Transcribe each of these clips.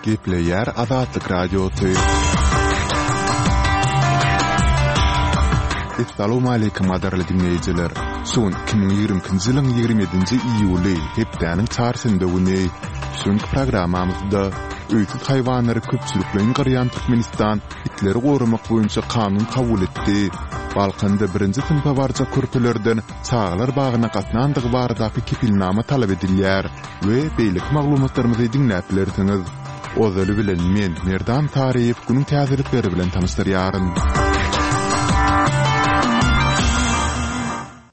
Gepleýär Azatlyk Radiosy. Essalawmaleýkim gadyrly diňleýjiler! Şu gün 2022-nji ýylyň 27-nji iýuly, hepdäniň çarşenbe güni. Şu günki programmamyzda öýsüz haýwanlary köpçülikleýin gyrýan Türkmenistan itleri goramak boýunça kanun kabul etdi. Balkanda birinji synpa barjak körpelerden çagalar bagyna gatnandygy baradaky kepilnama talap edilýär we beýleki maglumatlarymyzy diňläp bilersiňiz. Ozaly bilen men, Merdan Saryýew günüň täzelikleri bilen tanyşdyrýaryn.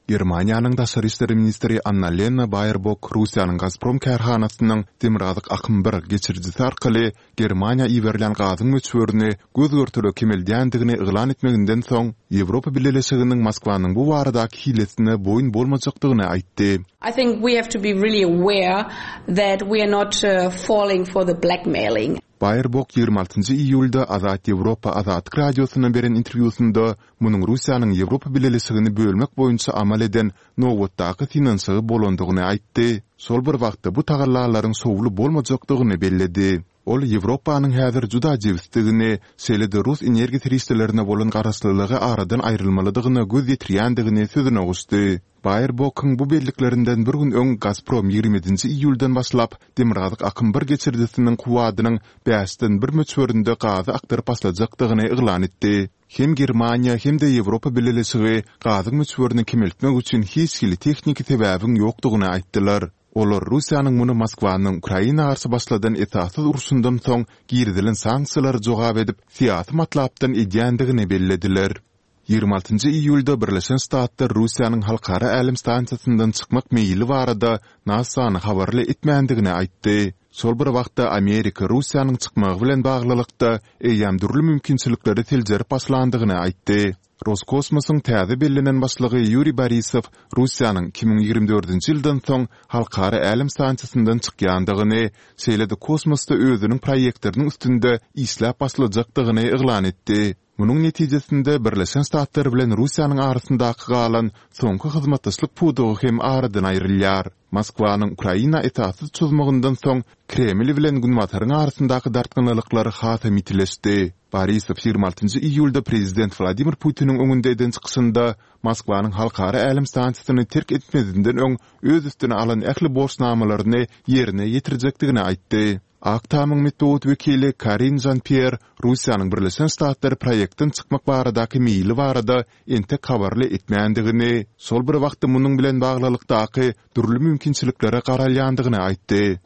Germaniýanyň daşary işler ministri Annalena Baerbok Russiýanyň Gazprom kärhanasynyň Demirgazyk akym bir geçirijisi arkaly Germaniýa iberilýän gazyň möçberini göz-görtele kemeldýändigini yglan etmeginden soň, Ýewropa Bileleşiginiň Moskwanyň bu baradaky hilesine boýun bolmajakdygyny aýtdy. I think we have to be really aware that we are not falling for the blackmailing. Baerbok 26 iýulda Azat Ýewropa Azatlyk Radiosyna beren interwýusynda munuň Russiýanyň Ýewropa Bileleşigini bölmek boýunça amal eden nobatdaky synanyşygy bolandygyny aýtdy, şol bir wagtda bu tagallalaryň şowly bolmajakdygyny belledi. Ol Ýewropanyň häzir juda jebisdigini, şeýle-de rus energiýa serişdelerine bolan garaşlylygy aradan aýrylmalydygyna göz ýetirýändigini sözüne goşdy. Baerbokyň bu belliklerinden bir gün öň Gazprom 27-nji iýuldan başlap Demirgazyk akym bir geçirijisiniň kuwwadynyň bäşden bir möçberinde gazy akdyryp başlajakdygyny yglan etdi. Hem Germaniýa, hem-de Ýewropa Bileleşigi gazyň möçberini kemeltmek üçin hiç hili tehniki sebäbiň ýokdugyny aýtdylar. Olar Russiýanyň muny Moskwanyň Ukraina garşy başladan esassyz urşundan soň girizilen sanksiýalara jogap edip, syýasy matlapdan edýändigini bellediler. 26 iýulda Birleşen Ştatlar Russiýanyň Halkara älem stansiýasyndan çykmak meýili barada NASA-ny habarly etmändigini aýtdy. Şol bir wagtda Amerika Russiýanyň çykmagy bilen baglylykda eýýäm dürli mümkinçilikleri seljerip başlandygyny aýtdy. Roskosmosyň täze bellenen başlygy Ýuriý Borisow Russiýanyň 2024-nji ýyldan soň Halkara älem stansiýasyndan çykýandygyny, şeýle-de kosmosda özüniň proýektleriniň üstünde işläp başlajakdygyny yglan etdi. Munuň netijesinde Birleşen Ştatlar bilen Russiýanyň arasyndaky galan soňky hyzmatdaşlyk pudagy hem aradan aýrylýar. Moskwanyň Ukraina esassyz çozmagyndan soň Kreml bilen Günbataryň arasyndaky dartgynlylyklar hasam ýitileşdi. Borisow 26 iýulda prezident Wladimir Putiniň öňünde eden çykyşynda Moskwanyň Halkara älem stansiýasyny terk etmezinden öň öz üstüne alan ähli borçnamalaryny ýerine ýetirjekdigini aýtdy. Ak Tamyň metbugat wekili Karin Žan-Pýer Russiýanyň Birleşen Ştatlary proýektden çykmak baradaky meýili barada entek habarly etmändigini, şol bir wagtda munuň bilen baglylykdaky dürli mümkinçiliklere garalýandygyny aýtdy.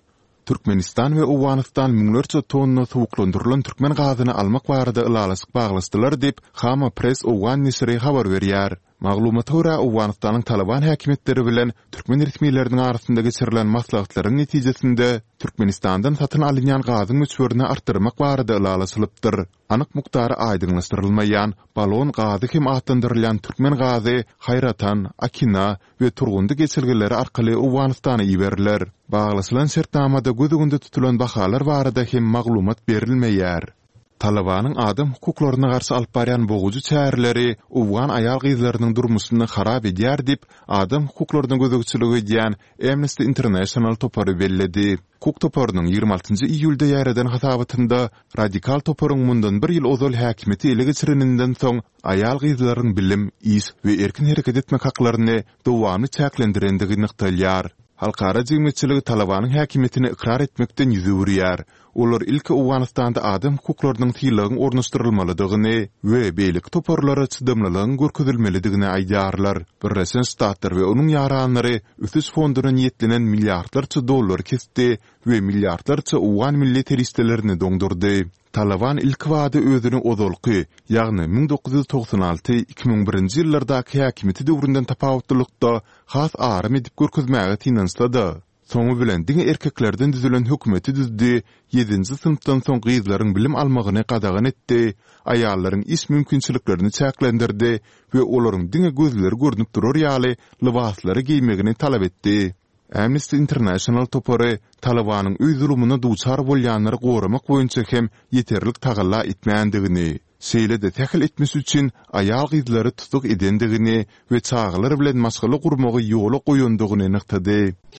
Türkmenistan we Owganystan müňlerçe tonna suwuklandyrylan türkmen gazyny almak barada ylalaşyk baglaşdylar diýip, Khaama Press owgan neşiri habar berýär. Maglumata görä, Owganystanyň Talyban häkimiýetleri bilen türkmen resmileriniň arasynda geçirilen maslahatlaryň netijesinde, Türkmenistandan satyn alynýan gazyň möçberini artdyrmak barada ylalaşylypdyr. Anyk mukdary aýdyňlaşdyrylmaýan, balon gazy hem atlandyrylýan türkmen gazy Haýratan, Akina we Turgundy geçelgeleri arkaly Owganystana iberiler. Baglaşylan şertnamada göz öňünde tutulan bahalar barada hem maglumat berilmeýär. Talybanyň adam hukuklaryna garşy alyp barýan bogujy çäreleri owgan aýal-gyzlarynyň durmuşyny harap edýär diýip, adam hukuklaryna gözegçilik edýän Amnesty International topary belledi. Hukuk toparynyň 26 iýulda ýaýradan hasabatynda radikal toparyň mundan bir ýyl ozal häkimiýeti ele geçireninden soň aýal-gyzlaryň bilim, iş we erkin hereket etmek haklaryny dowamly çäklendirendigi nygtalýar. Halkara jemgyýetçiligi Talybanyň häkimiýetini ykrar etmekden ýüz öwürýär. Olar ilki Owganystanda adam hukuklarynyň sylagyň ornaşdyrylmalydygyny we beýleki toparlara çydamlylygyň görkezilmelidigini aýdýarlar. Birleşen Ştatlar we onuň ýaranlary ösüş fonduna niýetlenen milliardlarça dollary kesdi we milliardlarça owgan milli serişdelerini doňdurdy. Talyban ilkibada özüni ozalky, ýagny 1996, 2001-nji ýyllardaky häkimiýeti döwründen tapawutlylykda has aram edip görkezmäge synanyşsa-da, Soňy bilen diňe erkeklerden düzülen hökümeti düzdi, ýedinji synpdan soň gyzlaryň bilim almagyny gadagan etdi, aýallaryň iş mümkinçiliklerini çäklendirdi we olaryň diňe gözleri görnüp durar ýaly lybaslary geýmegini talap etdi. Amnesty International topary Talybanyň öý zulumyna duçar bolýanlary goramak boýunça hem ýeterlik tagalla etmändigini, şeýle-de sähel etmiş üçin aýal-gyzlary tussag edendigini we çagalar bilen maşgala gurmagy ýola goýandygyny nygtady.